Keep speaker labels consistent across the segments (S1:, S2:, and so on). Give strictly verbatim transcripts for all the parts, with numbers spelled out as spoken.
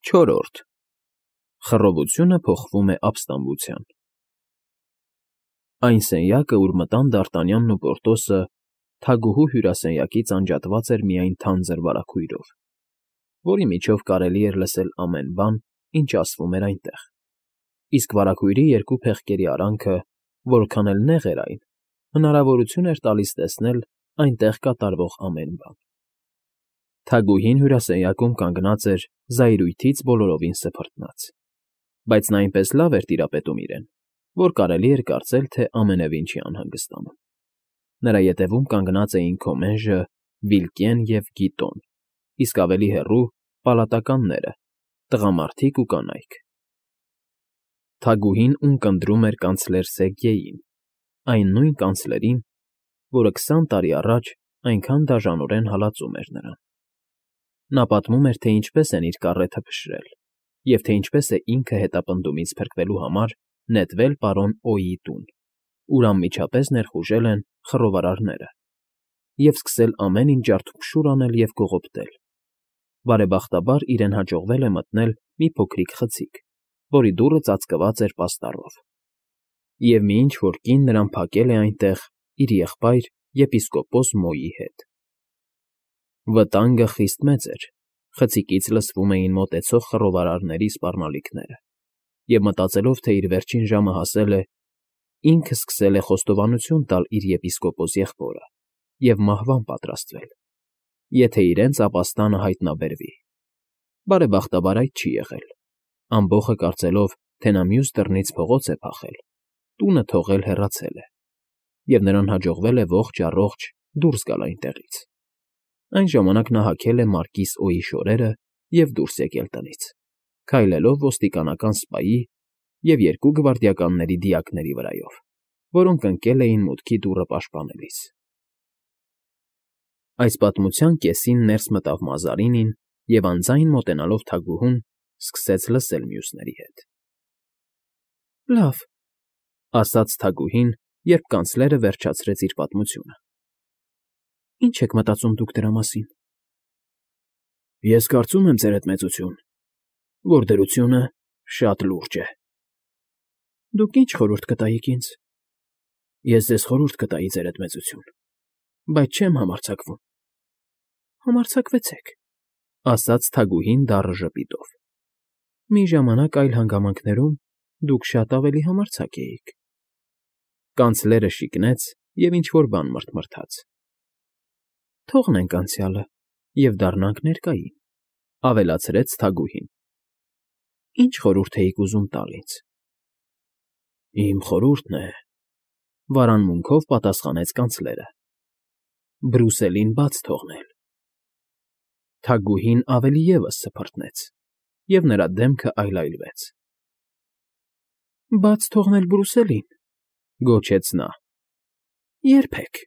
S1: Չորրորդ Խռովությունը փոխվում է ապստամբության։ Այն սենյակը, ուր մտան Դ'Արտանյանն ու Պորտոսը, թագուհու հյուրասենյակից անջատված էր միայն թանձր վարագույրով, որի միջով կարելի էր լսել ամեն բան, ինչ ասվում էր այնտեղ, իսկ վարագույրի երկու փեղկերի արանքը, որքան էլ նեղ էր այն, հնարավորություն էր տալիս տեսնել այնտեղ կատարվող ամեն բան։ Թագուհին հյուրասենյակում կանգնած էր զայրույթից բոլորովին սփռտնած, բայց նա այնպես լավ էր տիրապետում իրեն, որ կարելի էր կարծել, թե ամենևին չի անհանգստանում։ Նրա ետևում կանգնած էին Քոմենժը, Վիլկեն և Գիտոն, իսկ ավելի հեռու՝ պալատականները, տղամարդիկ ու կանայք։ Թագուհին ունկնդրում էր կանցլեր Սերգեյին, այն նույն կանցլերին, որը քսան տարի առաջ այնքան դաժանորեն հալածում էր նրան։ Նա պատմում էր, թե ինչպես են իր կառեթը փշրել և թե ինչպես է ինքը հետապնդումից փրկվելու համար նետվել պարոն Օ'Յի տուն, ուր անմիջապես ներխուժել են խռովարարները, և սկսել ամեն ինչ ջարդուփշուր անել և կողոպտել։ Բարեբախտաբար իրեն հաջողվել է մտնել մի փոքրիկ խցիկ, որի դուռը ծածկված էր պաստառով, և մի ինչ֊որ կին նրան փակել է այնտեղ իր եղբայր եպիսկոպոս Մոյի հետ։ Վտանգը խիստ մեծ էր, խցիկից լսվում էին մոտեցող խռովարարների սպառնալիքները, և մտածելով, թե իր վերջին ժամը հասել է, ինքը սկսել է խոստովանություն տալ իր եպիսկոպոս եղբորը և մահվան պատրաստվել, եթե իրենց ապաստանը հայտնաբերվի։ Բարեբախտաբար այդ չի եղել, ամբոխը կարծելով, թե նա մյուս դռնից փողոց է փախել, տունը թողել հեռացել է, և նրան հաջողվել է ողջ֊առողջ դուրս գալ այնտեղից։ Այն ժամանակ նա հագել է մարկիս Օ'Յի շորերը և դուրս եկել տնից, քայլելով ոստիկանական սպայի և երկու գվարդիականների դիակների վրայով, որոնք ընկել էին մուտքի դուռը պաշտպանելիս։ Այս պատմության կեսին ներս մտավ Մազարինին և, անձայն մոտենալով թագուհուն, սկսեց լսել մյուսների հետ։ ֊ Լավ,֊ ասաց թագուհին, երբ կանցլերը վերջացրեց իր պատմությունը։ ֊ Ի՞նչ եք մտածում դուք դրա մասին։ ֊ Ես կարծում եմ, ձերդ մեծություն, որ դրությունը շատ լուրջ է։ ֊ Դուք ի՞նչ խորհուրդ կտայիք ինձ։ ֊ Ես ձեզ խորհուրդ կտայի, ձերդ մեծություն, բայց չեմ համարձակվում։ ֊ Համարձակվեցեք,֊ ասաց թագուհին դառը ժպիտով։ Մի ժամանակ այլ հանգամանքներում դուք շատ ավելի համարձակ էիք։ Կանցլերը շիկնեց և ինչ֊որ բան մռթմռթաց։ ֊ Թողնենք անցյալը և դառնանք ներկային,֊ ավելացրեց թագուհին։ ֊ Ի՞նչ խորհուրդ էիք ուզում տալ ինձ։ ֊ Իմ խորհուրդն է,֊ վարանմունքով պատասխանեց կանցլերը,֊ Բրուսելին բաց թողնել։ Թագուհին ավելի ևս սփռտնեց, և նրա դեմքը այլայլվեց։ ֊ Բաց թողնել Բրուսելին,֊ գոչեց նա,֊ երբեք…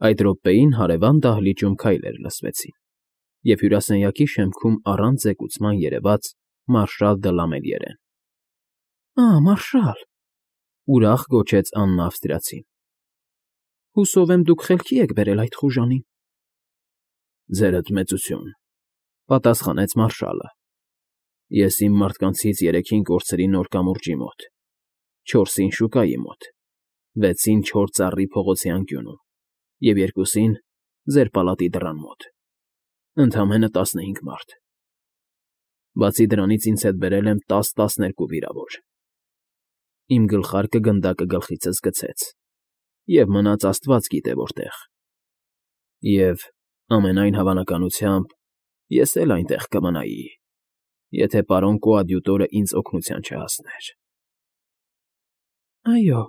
S1: Այդ րոպեին հարևան դահլիճում քայլեր լսվեցին, և հյուրասենյակի շեմքում առանց զեկուցման երևաց մարշալ դը Լամելիերեն։ ֊ Ա՜, մարշալ,֊ ուրախ գոչեց Աննա ավստրիացին,֊ հուսով եմ, դուք խելքի եք բերել այդ խուժանին։ ֊ Ձերդ մեծություն,֊ պատասխանեց մարշալը,֊ ես իմ մարդկանցից երեքին կորցրի նոր կամուրջի մոտ, չորսին շուկայի մոտ, վեցին չոր ծառի փողոցի անկյունում և երկուսին ձեր պալատի դռան մոտ, ընդամենը տասնհինգ մարդ։ Բացի դրանից ինձ հետ բերել եմ տաս֊տասներկու վիրավոր։ Իմ գլխարկը գնդակը գլխիցս գցեց, և մնաց աստված գիտե որտեղ։ Եվ, ամենայն հավանականությամբ, ես էլ այնտեղ կմնայի, եթե պարոն կոադյուտորը ինձ օգնության չհասներ։ ֊ Այո,֊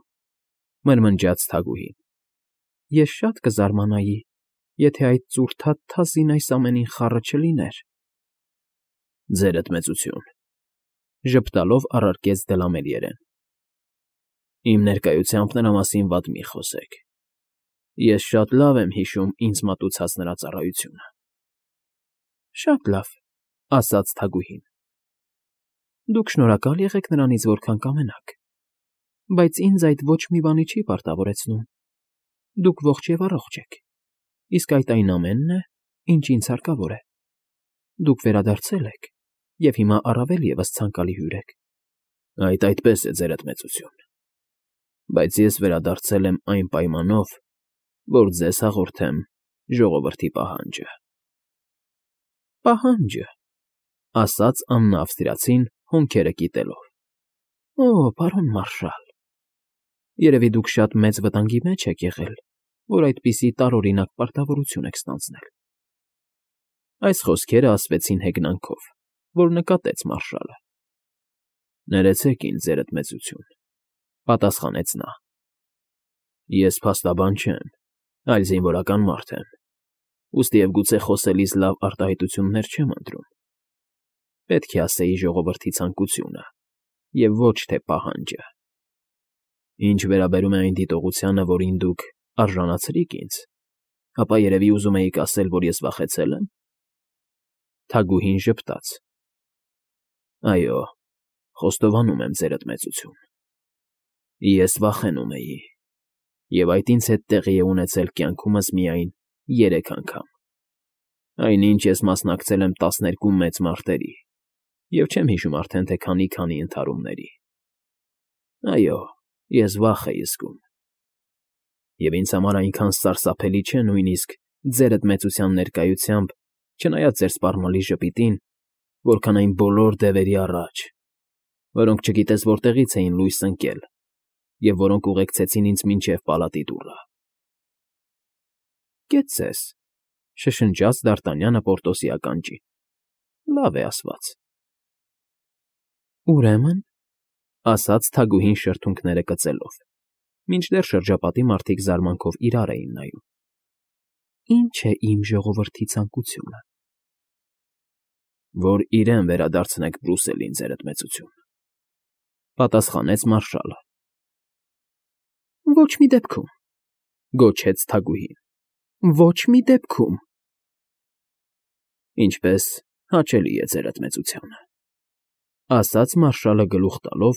S1: մրմնջաց թագուհին,֊ ես շատ կզարմանայի, եթե այդ ծուռթաթ թազին այս ամենին խառը չլիներ։ ֊ Ձերդ մեծություն,֊ ժպտալով առարկեց դը Լամելիերեն,֊ իմ ներկայությամբ նրա մասին վատ մի խոսեք։ Ես շատ լավ եմ հիշում ինձ մատուցած նրա ծառայությունը։ ֊ Շատ լավ,֊ ասաց թագուհին,֊ դուք շնորհակալ եղեք նրանից որքան կամենաք, բայց ինձ այդ ոչ մի բանի չի պարտավորեցնում։ Դուք ողջ և առողջ եք, իսկ այդ այն ամենն է, ինչ ինձ հարկավոր է։ Դուք վերադարձել եք, և հիմա առավել ևս ցանկալի հյուր եք։ ֊ Այդ այդպես է, ձերդ մեծություն, բայց ես վերադարձել եմ այն պայմանով, որ ձեզ հաղորդեմ ժողովրդի պահանջը։ ֊ Պահա՞նջը,֊ ասաց աննա֊ավստրիացին հոնքերը կիտելով։ ֊ Օ, պարոն մարշալ, երևի դուք շատ մեծ վտանգի մեջ եք եղել, որ այդպիսի տարօրինակ պարտավորություն եք ստանձնել։ Այս խոսքերը ասվեցին հեգնանքով, որ նկատեց մարշալը։ ֊ Ներեցեք ինձ, ձերդ մեծություն,֊ պատասխանեց նա։ Ես փաստաբան չեմ, այլ զինվորական մարդ եմ, ուստի և գուցե խոսելիս լավ արտահայտություններ չեմ ընտրում։ Պետք է ասեի ժողովրդի ցանկությունը և ոչ թե պահանջը։ Ինչ վերաբերում է այն դիտողությանը, որին դուք արժանացրիք ինձ, ապա երևի ուզում էիք ասել, որ ես վախեցել եմ։ Թագուհին ժպտաց։ ֊ Այո, խոստովանում եմ, ձերդ մեծություն, ես վախենում էի, և այդ ինձ հետ տեղի է ունեցել կյանքումս միայն երեք անգամ, այնինչ ես մասնակցել եմ տասներկու մեծ մարտերի և չեմ հիշում արդեն թե քանի֊քանի ընդհարումների։ Այո, ես վախ էի զգում, և ինձ համար այնքան սարսափելի չէ նույնիսկ ձերդ մեծության ներկայությամբ, չնայած ձեր սպառնալի ժպիտին, որքան այն բոլոր դևերի առաջ, որոնք չգիտես որտեղից էին լույս ընկել և որոնք ուղեկցեցին ինձ մինչև պալատի դուռը։ ֊ Կեցցես,֊ շշնջաց Դ'Արտանյանը Պորտոսի ականջին,֊ լավ է ասված։ ֊ Ուրեմն,֊ ասաց թագուհին շրթունքները կծելով, մինչդեռ շրջապատի մարդիկ զարմանքով իրար էին նայում,֊ ի՞նչ է իմ ժողովրդի ցանկությունը։ ֊ Որ իրեն վերադարձնեք Բրուսելին, ձերդ մեծություն,֊ պատասխանեց մարշալը։ ֊ Ոչ մի դեպքում,֊ գոչեց թագուհին,֊ ոչ մի դեպքում։ ֊ Ինչպե՞ս, հաճելի է ձերդ մեծությանը,֊ ասաց մարշալը գլուխ տալով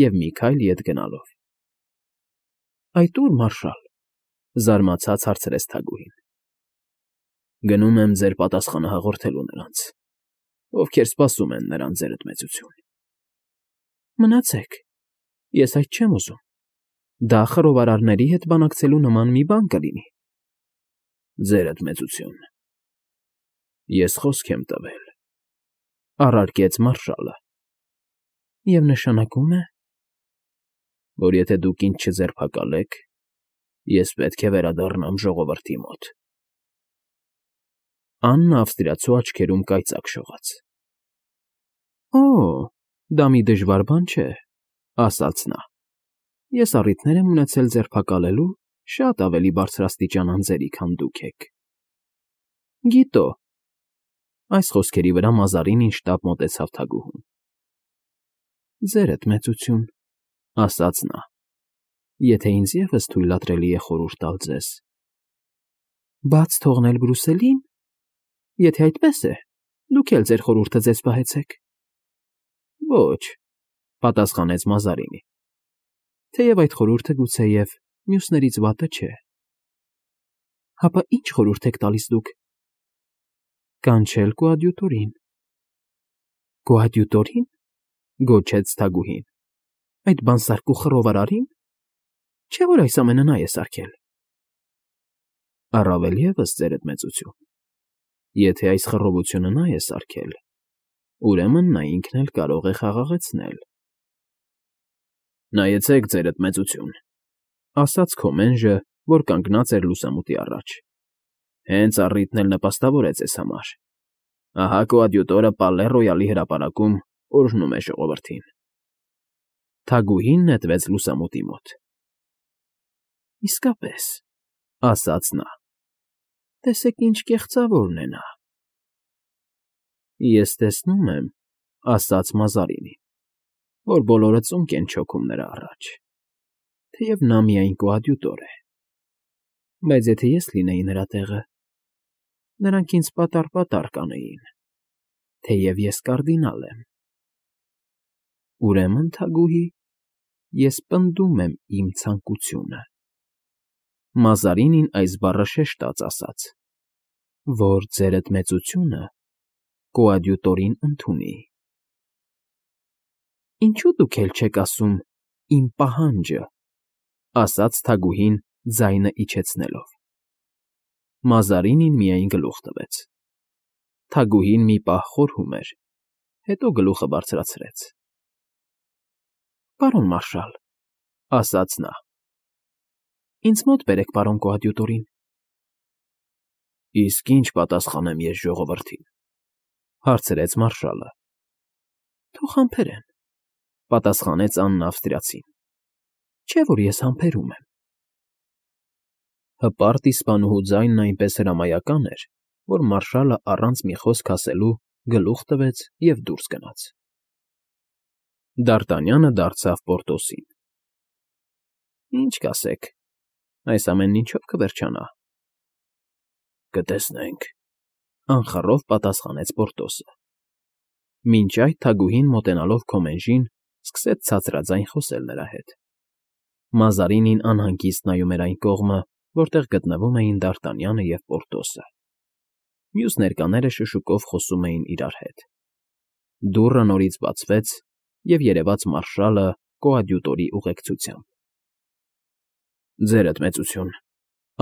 S1: և մի քայլ ետ գնալով։ ֊ Այդ ո՞ւր, մարշալ,֊ զարմացած հարցրեց թագուհին։ ֊ Գնում եմ ձեր պատասխանը հաղորդելու նրանց, ովքեր սպասում են նրան, ձերդ մեծություն։ ֊ Մնացեք, ես այդ չեմ ուզում, դա խռովարարների հետ բանակցելու նման մի բան կլինի։ ֊ Ձերդ մեծություն, ես խոսք եմ տվել,֊ առարկեց մարշալը։ ֊ Եվ նշանակում է… որ եթե դուք ինձ չձերբակալեք, ես պետք է վերադառնամ ժողովրդի մոտ։ Աննա ավստրիացու աչքերում կայծակ շողաց։ ֊ Օ՜, դա մի դժվար բան չէ,֊ ասաց նա։ Ես առիթներ եմ ունեցել ձերբակալելու շատ ավելի բարձրաստիճան անձերի, քան դուք եք։ ֊ Գիտո՛… Այս խոսքերի վրա Մազարինին շտապ մոտեցավ թագուհուն։ ֊ Ձերդ մեծություն,֊ ասաց նա,֊ եթե ինձ ևս թույլատրելի է խորհուրդ տալ ձեզ… ֊ Բաց թողնել Բրուսելի՞ն… Եթե այդպես է, դուք էլ ձեր խորհուրդը ձեզ պահեցեք։ ֊ Ոչ,֊ պատասխանեց Մազարինին,֊ թեև այդ խորհուրդը գուցեև մյուսներից վատը չէ։ ֊ Հապա ի՞նչ խորհուրդ եք տալիս դուք։ ֊ Կանչել կոադյուտորին։ ֊ Կոադյուտորի՞ն,֊ գոչեց թագուհին,֊ այդ բանսարկու խռովարարի՞ն։ Չէ՞ որ այս ամենը նա է սարքել։ ֊ Առավել ևս, ձերդ մեծություն, եթե այս խռովությունը նա է սարքել, ուրեմն նա ինքն էլ կարող է խաղաղեցնել։ ֊ Նայեցեք, ձերդ մեծություն,֊ ասաց Քոմենժը, որ կանգնած էր լուսամուտի առաջ,֊ հենց առիթն էլ նպաստավոր է ձեզ համար։ Ահա կոադյուտորը Պալե Ռոյալի հրապարակում օրհնում է ժողովրդին։ Թագուհին նետվեց լուսամուտի մոտ։ ֊ Իսկապես,֊ ասաց նա,֊ տեսեք ինչ կեղծավորն է նա։ ֊ Ես տեսնում եմ,֊ ասաց Մազարինին,֊ որ բոլորը ծունկ են չոքում նրա առաջ, թեև նա միայն կոադյուտոր է։ Բայց եթե ես լինեի նրա տեղը, նրանք ինձ պատառ֊պատառ կանեին, թեև ես կարդինալ եմ։ Ուրեմն, թագուհի, ես պնդում եմ իմ ցանկությունը… Մազարինին այս բառը շեշտած ասաց, որ ձերդ մեծությունը կոադյուտորին ընդունի։ Ինչու դուք էլ չեք ասում «իմ պահանջը», ասաց թագուհին ձայնը իջեցնելով։ Մազարինին միայն գլուխ տվեց։ Թագուհին մի պահ խորհում էր, հետո գլուխը բարձրացրեց։ Պարոն մարշալ, ասաց նա, ինձ մոտ բերեք պարոն կոադյուտորին։ Իսկ ինչ պատասխանեմ ես ժողովրդին, հարցրեց մարշալը։ Թող համբերեն, պատասխանեց Աննա Ավստրիացին, չէ՞ որ ես համբերում եմ։ Հպարտ իսպանուհու ձայնն այնպես հրամայական էր, որ մարշալը առանց մի խոսք ասելու գլուխ տվեց և դուրս գնաց։ Դ'Արտանյանը դարձավ Պորտոսին։ Ինչ կասեք, այս ամենն ինչո՞վ կվերջանա։ Կտեսնենք, անխռով պատասխանեց Պորտոսը։ Մինչ այդ թագուհին մոտենալով Քոմենժին սկսեց ցածրաձայն խոսել նրա հետ։ Մազարինին անհանգիստ նայում էր այն կողմը, որտեղ գտնվում էին Դ'Արտանյանը և Պորտոսը։ Մյուս ներկաները շշուկով խոսում էին իրար հետ։ Դուռը նորից բացվեց, և երևաց մարշալը կոադյուտորի ուղեկցությամբ։ Ձերդ մեծություն,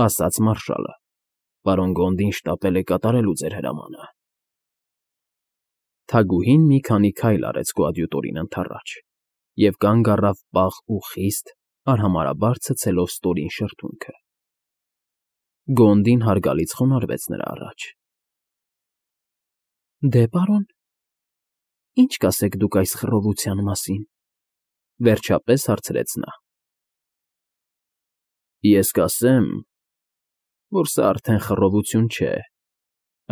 S1: ասաց մարշալը, պարոն Գոնդին շտապել է կատարելու ձեր հրամանը։ Թագուհին մի քանի քայլ արեց կոադյուտորին ընդառաջ և կանգ առավ պաղ ու խիստ, արհամարհաբար ցցելով ստորին շրթունքը։ Գոնդին հարգալից խոնարհվեց նրա առաջ։ Դե, պարոն, ի՞նչ կասեք դուք այս խռովության մասին, վերջապես հարցրեց նա։ Ես կասեմ, որ սա արդեն խռովություն չէ,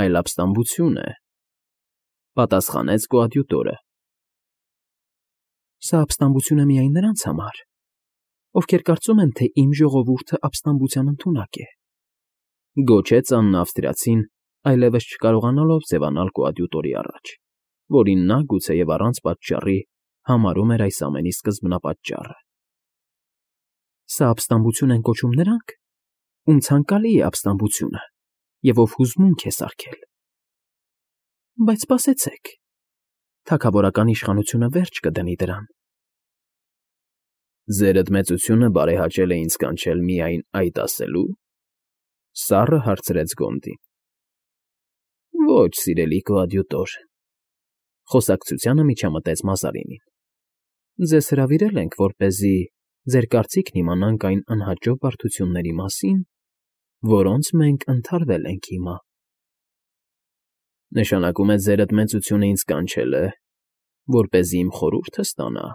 S1: այլ ապստամբություն է, պատասխանեց կոադյուտորը։ Սա ապստամբություն է միայն նրանց համար, ովքեր կարծում են, թե իմ ժողովուրդը ապստամբության ընդունակ է, գոչեց Աննա Ավստրիացին, այլևս չկարողանալով ձևանալ կոադյուտորի առաջ, որին նա, գուցեև առանց պատճառի, համարում էր այս ամենի սկզբնապատճառը։ Սա ապստամբություն են կոչում նրանք, ում ցանկալի է ապստամբությունը և ով հուզմունք է սարքել։ Բայց սպասեցեք, թագավորական իշխանությունը վերջ կդնի դրան։ Ձերդ մեծությունը բարեհաճել է ինձ կանչել միայն այդ ասելու, սառը հարցրեց Գոնդին։ Ոչ, սիրելի կոադյուտոր, խոսակցությանը միջամտեց Մազարինին։ Ձեզ հրավիրել ենք, որպեսզի ձեր կարծիքն իմանանք այն անհաջող բարդությունների մասին, որոնց մենք ընդհարվել ենք հիմա։ Նշանակում է ձերդ մեծությունը ինձ կանչել է, որպեսզի իմ խորհուրդը ստանա,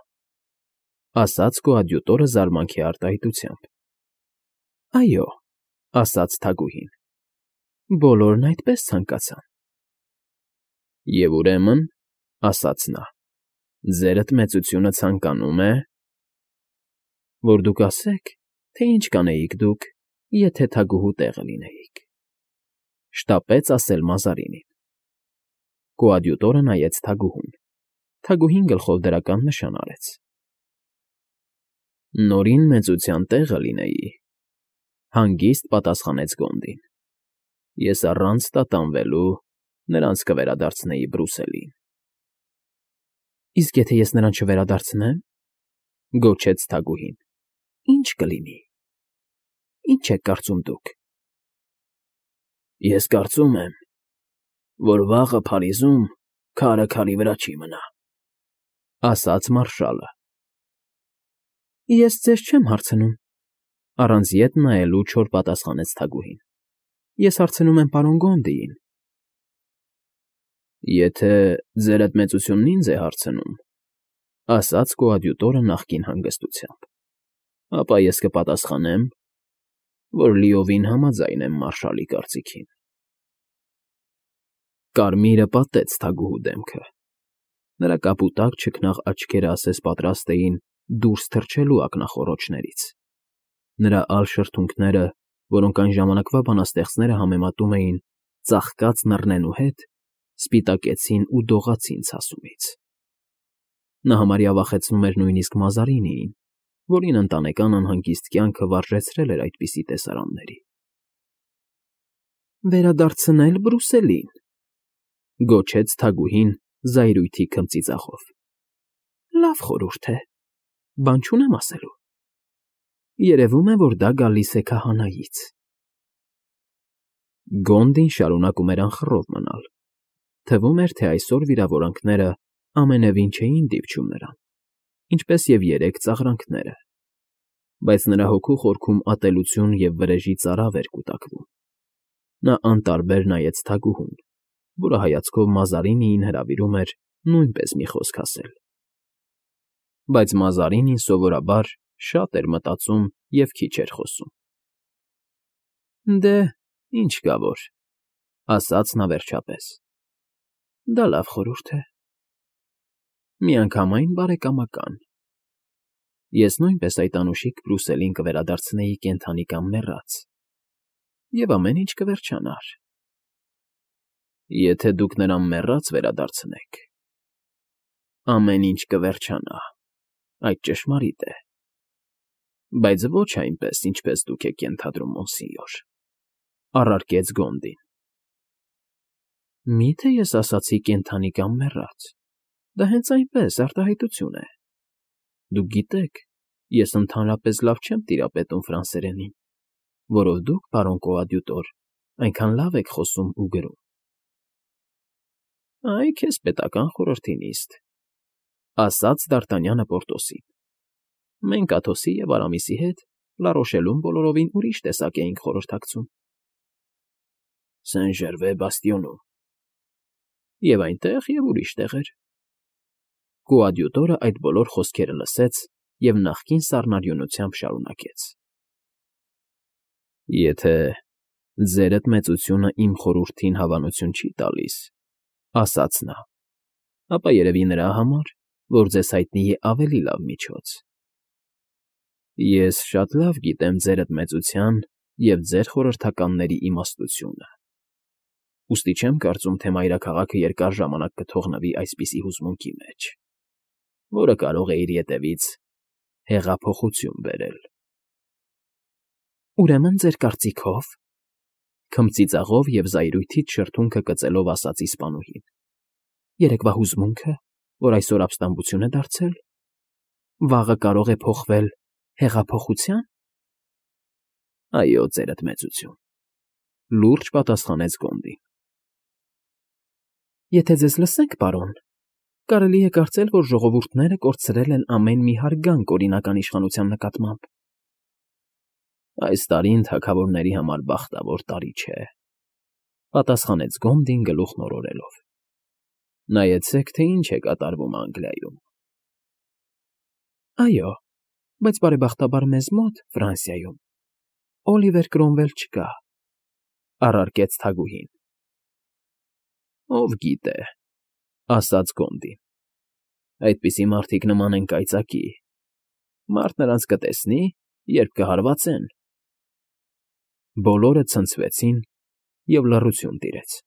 S1: ասաց կոադյուտորը զարմանքի արտահայտությամբ։ Այո, ասաց թագուհին, բոլորն այդպես ցանկացան։ Եվ ուրեմն, ասաց նա, ձերդ մեծությունը ցանկանում է, որ դուք ասեք, թե ինչ կանեիք դուք, եթե թագուհու տեղը լինեիք, շտապեց ասել Մազարինին։ Կոադյուտորը նայեց թագուհուն, թագուհին գլխով դրական նշան արեց։ Նորին մեծության տեղը լինեի, հանգիստ պատասխանեց Գոնդին։ Ես առանց տատանվելու նրանց կվերադարձնեի Բրուսելին։ Իսկ եթե ես նրան չվերադարձնեմ, գոչեց թագուհին, ի՞նչ կլինի։ Ինչ եք կարծում դուք։ Ես կարծում եմ, որ վաղը Փարիզում քարը քարի վրա չի մնա, ասաց մարշալը։ Ես ձեզ չեմ հարցնում, առանց ետ նայելու չոր պատասխանեց թագուհին։ Ես հարցնում եմ պարոն Գոնդիին։ Եթե ձերդ մեծությունն ինձ է հարցնում, ասաց կոադյուտորը նախկին հանգստությամբ, ապա ես կպատասխանեմ, որ լիովին համաձայն եմ մարշալի կարծիքին։ Կարմիրը պատեց թագուհու դեմքը։ Նրա կապուտակ չքնաղ աչքերը ասես պատրաստ էին դուրս թռչելու ակնախոռոչներից։ Նրա ալ շրթունքները, որոնք այն ժամանակվա բանաստեղծները համեմատում էին ծաղկած նռնենու հետ, սպիտակեցին ու դողացին ցասումից։ Նա համարյա վախեցնում էր նույնիսկ Մազարինիին, որին ընտանեկան անհանգիստ կյանքը վարժեցրել էր այդպիսի տեսարանների։ Վերադարձնել Բրուսելին, գոչեց թագուհին զայրույթի քմծիծաղով։ Լավ խորհուրդ է, բան չունեմ ասելու։ Երևում է, որ դա գալիս է քահանայից։ Գոնդին շարունակում էր անխռով մնալ։ Թվում էր, թե այսօր վիրավորանքները ամենևին չէին դիպչում նրան, ինչպես և երեկ ծաղրանքները, բայց նրա հոգու խորքում ատելություն և վրեժի ծարավ էր կուտակվում։ Նա անտարբեր նայեց թագուհուն, որը հայացքով Մազարինիին հրավիրում էր նույնպես մի խոսք ասել։ Բայց Մազարինին սովորաբար շատ էր մտածում և քիչ էր խոսում։ Դե, ինչ կա որ, ասաց նա վերջապես։ Դա լավ խորհուրդ է։ Միանգամայն բարեկամական։ Ես նույնպես այդ անուշիկ Բրուսելին կվերադարձնեի կենդանի կամ մեռած, և ամեն ինչ կվերջանար։ Եթե դուք նրան մեռած վերադարձնեք, ամեն ինչ կվերջանա, այդ ճշմարիտ է, բայց ոչ այնպես, ինչպես դուք եք ենթադրում, մոնսինյոր, առարկեց Գոնդին։ Մի՞թե ես ասացի կենդանի կամ մեռած, դա հենց այնպես, արտահայտություն է։ Դուք գիտեք, ես ընդհանրապես լավ չեմ տիրապետում ֆրանսերենին, որով դուք, պարոն կոադյուտոր, այնքան լավ եք խոսում ու գրում։ Այ քեզ պետական խորհրդի նիստ, ասաց Դ'Արտանյանը Պորտոսին։ Մենք Աթոսի և Արամիսի հետ Լարոշելում բոլորովին ուրիշ տեսակ էինք խորհրդակցում։ Սեն֊Ժերվե բաստիոնում։ Եվ այնտեղ, և ուրիշ տեղեր։ Կոադյուտորը այդ բոլոր խոսքերը լսեց և նախկին սառնարյունությամբ շարունակեց. Եթե ձերդ մեծությունը իմ խորհրդին հավանություն չի տալիս, ասաց նա, ապա երևի նրա համար, որ ձեզ հայտնի է ավելի լավ միջոց։ Ես շատ լավ գիտեմ ձերդ մեծության և ձեր խորհրդականների իմաստությունը, ուստի չեմ կարծում, թե մայրաքաղաքը երկար ժամանակ կթողնվի այսպիսի հուզմունքի մեջ, որը կարող է իր ետևից հեղափոխություն բերել։ Ուրեմն ձեր կարծիքով, քմծիծաղով և զայրույթից շրթունքը կծելով ասաց իսպանուհին, երեկվա հուզմունքը, որ այսօր ապստամբություն է դարձել, վաղը կարող է փոխվել հեղափոխության։ Այո, ձերդ մեծություն, լուրջ պատասխանեց Գոնդին։ Եթե ձեզ լսենք, պարոն, կարելի է կարծել, որ ժողովուրդները կորցրել են ամեն մի հարգանք օրինական իշխանության նկատմամբ։ Այս տարին թագավորների համար բախտավոր տարի չէ, պատասխանեց Գոնդին գլուխն օրորելով։ Նայեցեք, թե ինչ է կատարվում Անգլիայում։ Այո, բայց բարեբախտաբար մեզ մոտ, Ֆրանսիայում, Օլիվեր Կրոմվել չկա, առարկեց թագուհին։ Ով գիտե, ասաց Գոնդին, այդպիսի մարդիկ նման են կայծակի, մարդ նրանց կտեսնի, երբ կհարվածեն։ Բոլորը ցնցվեցին, և լռություն տիրեց։